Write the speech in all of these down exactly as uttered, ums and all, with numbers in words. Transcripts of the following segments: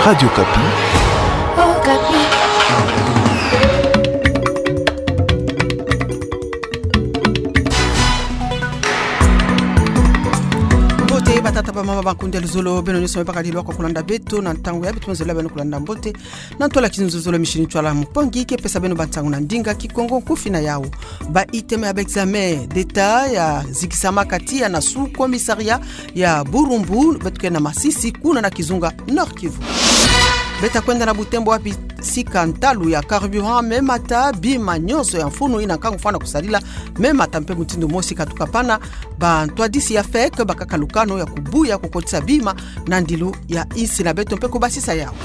Radio Okapi. Okapi. Mbote batata, bamama, bankunda, luzolo, beno nyonso me bakadi lwaka kulanda beto na ntangu yayi. Beto me zola beno kulanda mbote na ntwala kizunzolo, émission Ntwala Mpongi, ke pesa beno bansangu na ndinga Kikongo. Nkufi na yawu: ba items ya ba examens d'État yazikisamaka tiya na sous-commissariat ya Burumbu, beto ke na Masisi, kuna na kizunga Nord-Kivu. Beta kwenda na Butembo, wapi sika ntalu ya carburant me mata, bima nyonso ya mfunu ina nkangu fwana kusadila me mata mpe mutindu mosi katuka pana. Bantwadisi ya FEC bakaka lukanu ya kubuya kukotisa bima na ndilu ya insi na beto mpe kubasisa yawu.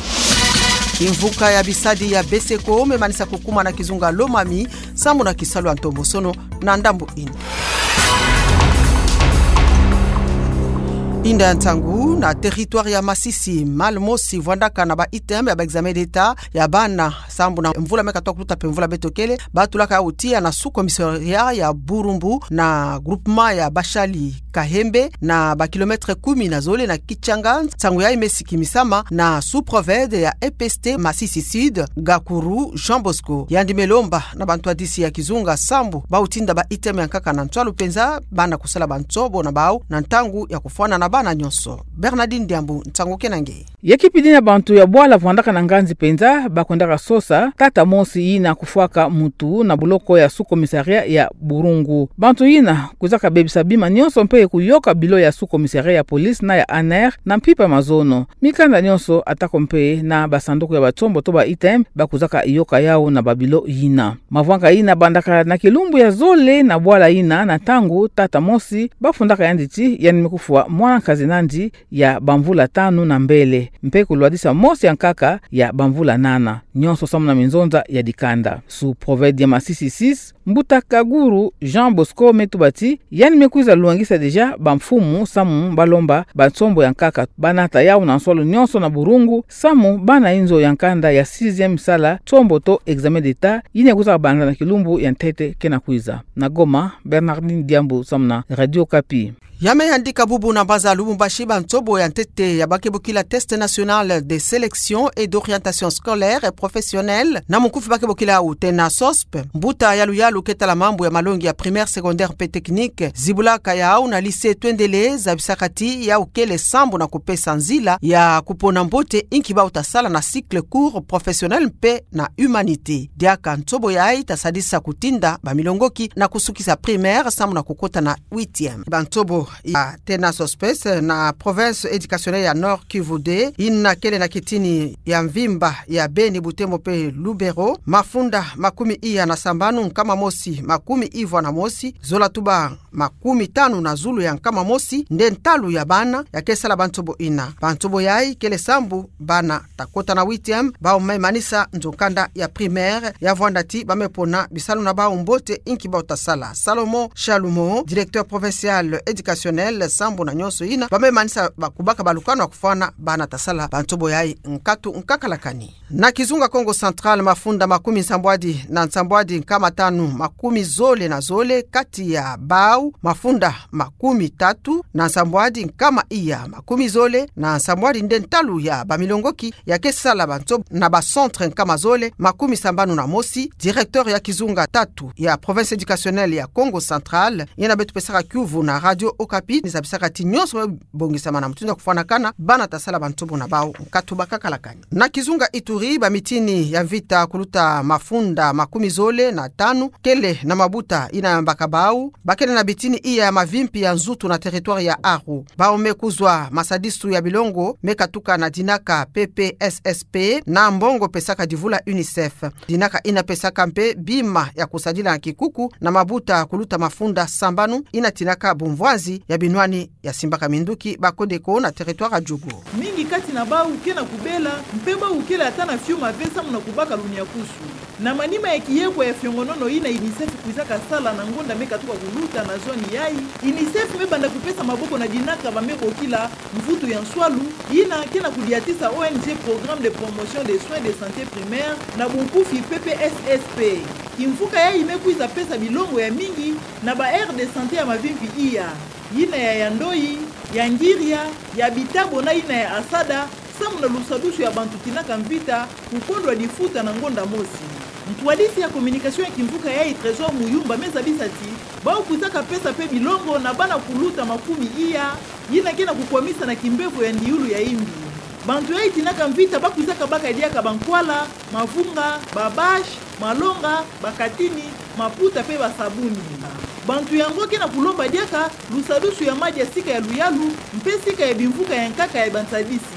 Kimvuka ya bisadi ya BESECO me manisa kukuma na kizunga Lomami, sambu na kisalu ya ntombosono na ndambu ina. Inda ya nsangu: na territoire ya Masisi, malle mosi vwandaka na ba items ya ba examens d'État ya bana sambu na mvula me katoka kuluta mpe mvula beto kele, batulaka yawu tiya na sous-commissariat ya Burumbu, na groupement ya Bashali Kahembe, na ba kilomètres kumi na zole na Kitshanga. Nsangu yayi me sikimisama na sous-proved ya EPST Masisi Sud, Gakuru Jean Bosco. Yandi me lomba na bantwadisi ya kizunga sambu bau tinda ba items ya nkaka na ntwalu mpenza, bana kusala bansobo na bau na ntangu ya kufwana na bana nyonso. Bernardine Diambu, nsangu ke na nge. Ya kipidi na bantu ya bwala vwandaka na nganzi mpenza, bakwendaka sosa tata mosi yina kufwaka mutu na boloko ya sous-commissariat ya Burungu. Bantu yina kwizaka bebisa bima nyonso mpe kuyoka bilo ya sous-commissariat ya police na ya ANR na mpimpa mazono. Mikanda nyonso, atako mpe na basanduku ya bansobo to ba items, bakwizaka yoka yawu na babilo yina. Mavwanga yina bandaka na kilumbu ya zole na bwala yina, na ntangu tata mosi bafundaka yandi ti yandi me kufwa mwana nkazi na yandi ya bamvula tanu na mbele, mpe kulwadisa mosi ya nkaka ya bamvula nana, nyonso sambu na minzonza ya dikanda. Sous-proved ya Masisi Sud, Mbuta Kaguru Jean Bosco me tuba ti yandi me kwiza lwangisa déjà bamfumu samu balomba bansobo ya nkaka banata yawu na nswalu nyonso na Burungu, samu bana inzo ya nkanda ya sixième sala nsobo to examen d'État yina kwizaka banza na kilumbu ya ntete ke na kwiza. Na Goma, Bernardine Diambu samu na Radio Okapi. Ya me yandika bubu na mbanza Lubumbashi, bansobo ya ntete ya ba ke bokila Test National de Sélection et d'Orientation Scolaire et Professionnelle, na mukufi ba ke bokila yawu TENASOSP, mbuta yaluyalu ke tala mambu ya malongi ya primaire, secondaire mpe technique, zibulaka yawu na lycée Twendele, zabisaka ti yawu kele sambu na kupesa nzila ya kupona mbote inki bau ta sala na cycle court professionnel mpe na humanité. Diaka nsobo yayi ta sadisa kutinda bamilongoki na kusukisa primaire samu na kukota na huitième. Bansobo ya TENASOSP na province éducationnelle ya Nord-Kivu deux, yina kele na kitini ya mvimba ya Beni, Butembo mpe Lubero, mafunda makumi iya na sambanu, nkama mosi makumi ivwa na mosi, zola tuba makumi tanu na zulu ya nkama mosi nde ntalu ya bana ya ke sala bansobo yina. Bansobo yayi kele sambu bana ta kota na huitième, bau me manisa nzo kanda ya primaire, ya vwanda ti ba me pona bisalu na bau mbote inki bau ta sala. Salomon Chalumeau, directeur provincial éducationnel, sambu na nyonso yina, ba me manisa ba kubaka balukanu ya kufwana bana ta sala bansobo yayi nkatu nkakala kani. Na kizunga Kongo Central, mafunda makumi nsambwadi na nsambwadi nkama tanu makumi zole na zole kati ya bau mafunda makumi tatu na nsambwadi nkama iya makumi zole na nsambwadi nde ntalu ya bamilongoki ya ke sala bansobo na ba centre nkama zole makumi sambanu na mosi. Directeur ya kizunga tatu ya province éducationnelle ya Kongo Central, yina beto pesaka kiuvu na Radio Okapi, ni zabisaka ti nyonso me bongisama na mutindu ya kufwanakana, bana ta sala bansobo na bau nkatu bakakala kani. Na kizunga Ituri, bamitini ya mvita kuluta mafunda makumi zole na tanu kele na mabuta yina yambaka bau ba kele na bitini iya ya mavimpi ya nzutu na territoire ya Aru. Bau me kuzwa masadisu ya bilongo me katuka na dinaka P P S S P na mbongo pesaka divula UNICEF. Dinaka yina pesaka mpe bima ya kusadila na kikuku na mabuta kuluta mafunda sambanu, yina tinaka bumvwanzi ya binwani ya simbaka minduki ba kodeko na territoire ya Djugu. Mingi kati na bau ke na kubela, mpe bau kele ata na fiuma ve samu na kubaka lumiakusu. Na manima ya kiyekwa ya fiongonono yina UNICEF kwizaka sala na ngonda me katuka kuluta na zoni yayi, UNICEF me banda kupesa maboko na dinaka ba me bokila mvutu ya nswalu, yina ke na kudiatisa O N G Programme de Promotion des Soins de Santé Primaire, na bunkufi P P S S P. Kimvuka yayi me kwiza pesa bilongo ya mingi na ba aires de santé ya mavimpi iya, yina ya, ya Ndoi, ya Ngiria, ya Bitabo na yina ya Assada, samu na lusadusu ya bantu tinaka mvita kukondwa difuta na ngonda mosi. Ntwadisi ya communication ya kimvuka yayi Trésor Muyumba me zabisa ti bau kwizaka pesa pe bilongo na bana kuluta makumi iya, yina ke na kukwamisa na kimbevo ya ndiulu ya imbi. Bantu yayi tinaka mvita ba kwizaka baka diaka bankwala, mavunga, babâche, malonga, bakatini, maputa pe basabuni. Bantu yango ke na kulomba diaka lusadusu ya madi ya sika ya luyalu mpe sika ya bimvuka ya nkaka ya bantwadisi.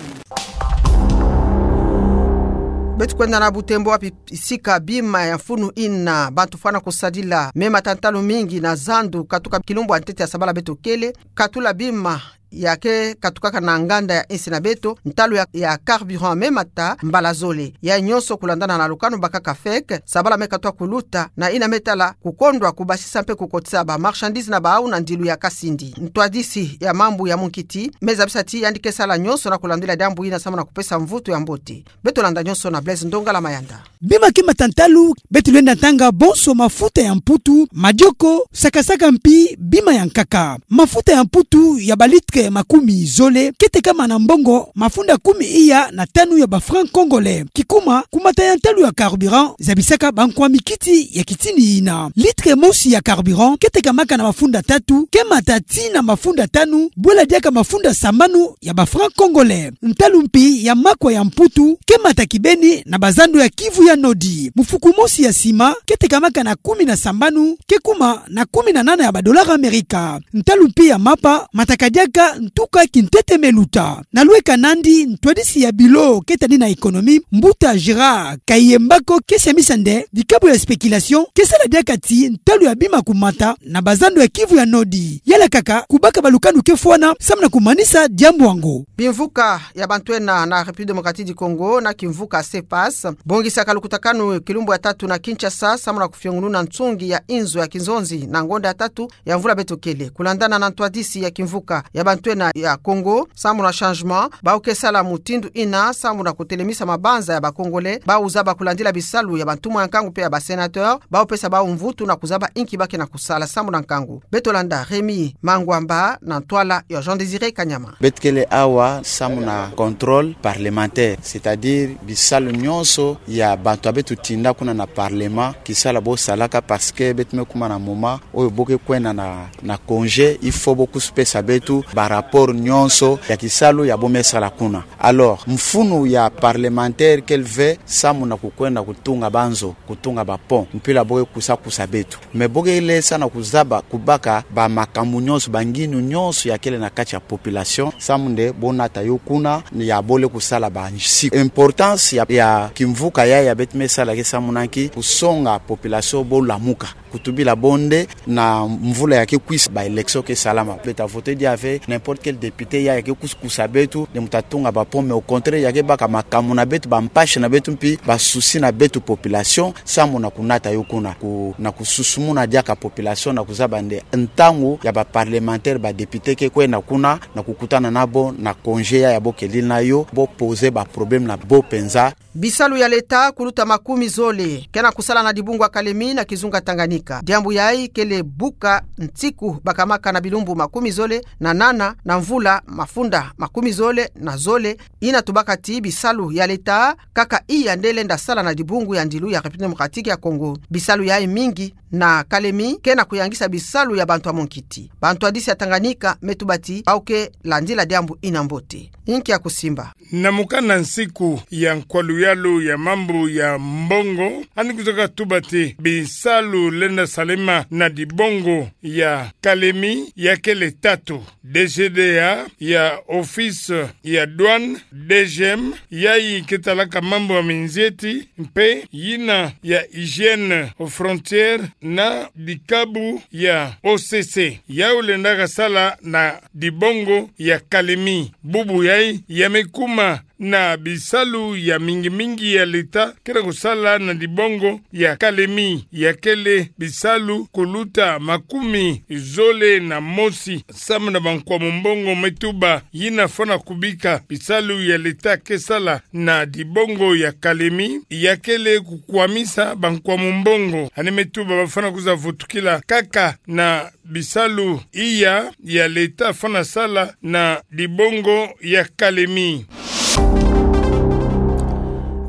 Beto kwenda na Butembo, wapi sika bima ya mfunu ina bantu fwana kusadila mema ta ntalu mingi na zandu katuka kilumbu ya ntete ya sabala beto kele, katula bima ya ke katukaka na nganda ya insi na beto, ntalu ya, ya carburant me mata mbala zole. Ya nyonso kulandana na lukanu bakaka feke, sabala me katwa kuluta, na ina me tala kukondwa kubasisa mpe kukotisa ba marchandise na bau na ndilu ya kasindi. Ntwadisi ya mambu ya munkiti me zabisa ti yandi ke sala nyonso na kulandila diambu ina samu na kupesa mvutu ya mbote. Beto landa nyonso na Blaise Ndongala Mayanda. Bima ke mata ntalu, beto lenda tanga bonso mafuta ya mputu, madioko, sakasaka mpi bima ya nkaka. Mafuta ya mputu ya ba litre makumi zole ke tekama na mbongo mafunda kumi iya na tanu ya ba francs congolais. Kikuma, ku mata ya ntalu ya carburant, zabisaka ba nkwami kiti ya kitini ina. Litre mosi ya carburant ke tekamaka na mafunda tatu, ke mata tii na mafunda tanu, bwela diaka mafunda sambanu ya ba francs congolais. Ntalu mpi ya makwa ya mputu ke mata kibeni na bazando ya Kivu ya Nodi. Mufuku mosi ya sima ke tekamaka na kumi na sambanu, ke kuma na kumi na nana ya ba dollars Amerika. Ntalu mpi ya mapa mataka diaka ntuka kintete me luta. Na lweka nandi, ntwadisi ya bilo ke tani na économie, mbuta Gérard Kayembako, ke siamisa nde dikabu ya spéculation ke sala diaka ti ntalu ya bima kumata na bazando ya Kivu ya Nodi. Yala kaka kubaka ba lukanu ke fwana samu na kumanisa diambu yango. Bimvuka ya bantu ena na République Démocratique du Congo na kimvuka CEPAS bongisaka lukutakanu kilumbu ya tatu na Kinshasa samu na kufiongununa nsungi ya inzo ya kinzonzi na ngonda ya tatu ya mvula beto kele. Kulandana na ntwadisi ya kimvuka ya bantu ena ya Congo samu na changement, bau ke sala mutindu ina samu na kutelemisa mabanza ya ba Congolais bau zaba kulandila bisalu ya bantumwa ya nkangu mpe ya ba sénateurs, bau pesa bau mvutu na kuzaba inki ba ke na kusala samu na nkangu. Beto landa Rémy Mangwamba na ntwala ya Jean Désiré Kanyama. Beto kele awa samu na contrôle parlementaire, c'est-à-dire bisalu nyonso ya bantu ya beto tinda kuna na parlement, kisala bo salaka, parce que beto me kuma na moment oyo bo ke kwenda na, na congé, il faut bo kusu pesa beto ba rapport nyonso ya kisalu ya bo me sala kuna. Alors, mfunu ya parlementaire kele ve samu na kukwenda kutunga banzo, kutunga ba pont, mpila bo ke kusa kusa beto. Mais bo ke lenda na kuzaba kubaka ba makambu nyonso, ba ngindu nyonso ya kele na kati ya population, samu nde bo nata yo kuna, ya bo lenda kusala ba nsi. Importance ya, ya kimvuka ya, ya beto me sala ke samu na nki? Kusonga population bo lamuka. Kutubila bo nde na mvula ya ke kwisa ba élection ke salama, beto ta voter dia ve n'importe quel député ya, ya ke kusa kusa beto nde mu ta tunga ba pont, mais au contraire ya ke baka makambu na beto, ba mpasi na beto mpi ba souci na beto population, samu na kunata yo kuna ku, na kususumuna diaka population na kuzaba nde ntangu ya ba parlementaire, ba député ke kwenda kuna na kukutana na bo na congé ya, ya bo kele na yo, bo poser ba problème na bo penza. Bisalu ya leta kuluta makumi zole ke na kusala na dibungu ya Kalemi na kizunga Tanganyika. Diambu yayi kele buka nsiku bakamaka na bilumbu makumi zole na nana na mvula mafunda makumi zole na zole, ina tubaka ti bisalu ya leta kaka iya nde lenda sala na dibungu ya ndilu ya République Démocratique ya Congo. Bisalu yayi mingi na Kalemi ke na kuyangisa bisalu ya bantu ya munkiti. Bantwadisi ya Tanganyika me tuba ti bau ke landila diambu ina mbote. Inki ya kusimba? Na mukanda nsiku ya nkwa luyalu ya mambu ya mbongo, ani kwizaka tuba ti bisalu lenda salama na dibongo ya Kalemi ya kele tatu: D G D A ya Office ya Douane, D G M, yayi ke talaka mambu ya minzeti, mpe yina ya Hygiène aux Frontières na dikabu ya O C C. Yau lendaka sala na dibongo ya Kalemi. Bubu yayi ya me kuma na bisalu ya mingi mingi ya leta ke na kusala na dibongo ya Kalemi, ya kele bisalu kuluta makumi zole na mosi. Samu na bankwa mumbongo me tuba, yina fwana kubika bisalu ya leta ke sala na dibongo ya Kalemi ya kele kukwamisa bankwa mumbongo. Ani me tuba ba fwana kwiza vutukila kaka na bisalu iya ya leta fwana sala na dibongo ya Kalemi.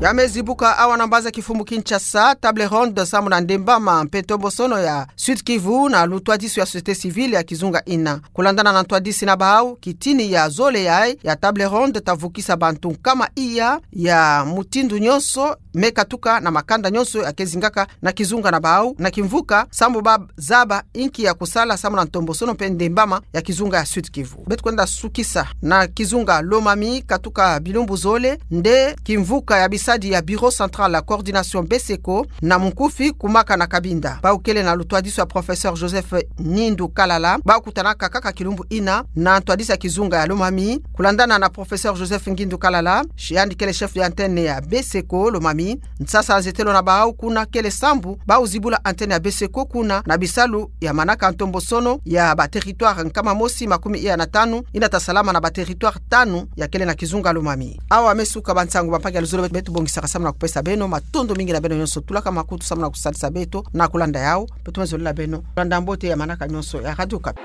Ya me zibuka awa na mbaza kifumbu Kinshasa table ronde samu na Ndembama mpe ntombosono ya Sud-Kivu na lutwadisi ya société civile ya kizunga ina. Kulandana na ntwadisi na bawu, kitini ya zole yayi ya table ronde ta vukisa bantu nkama iya ya mutindu nyonso, me katuka na makanda nyonso ya ke zingaka na kizunga na bawu na kimvuka, samu ba zaba inki ya kusala samu na ntombosono mpe Ndembama ya kizunga ya Sud-Kivu. Beto kwenda sukisa na kizunga Lomami, katuka bilumbu zole nde kimvuka ya bisadi ya Bureau Central ya Coordination BCECO na munkufi kumaka na Cabinda. Bawu kele na lutwadisi ya Professeur Joseph Ngindu Kalala, bawu kutanaka kaka kilumbu ina na ntwadisi ya kizunga ya Lomami. Kulandana na Professeur Joseph Ngindu Kalala, yandi kele chef ya antenne ya BCECO Lomami, nsasa nzetelo na bawu kuna kele sambu bawu zibula antenne ya BCECO kuna na bisalu ya manaka ntombosono ya ba territoire nkama mosi makumi iya na tanu, ina ta salama na ba territoire tanu ya kele na kizunga Lomami. Awa me suka bansangu bampangi ya luzolo beto bongisaka samu na kupesa beno, matondo mingi na beno nyonso tulaka makutu samu na kusadisa beto na kulanda yawu. Beto me zolela beno landa mbote ya manaka nyonso ya Radio Okapi.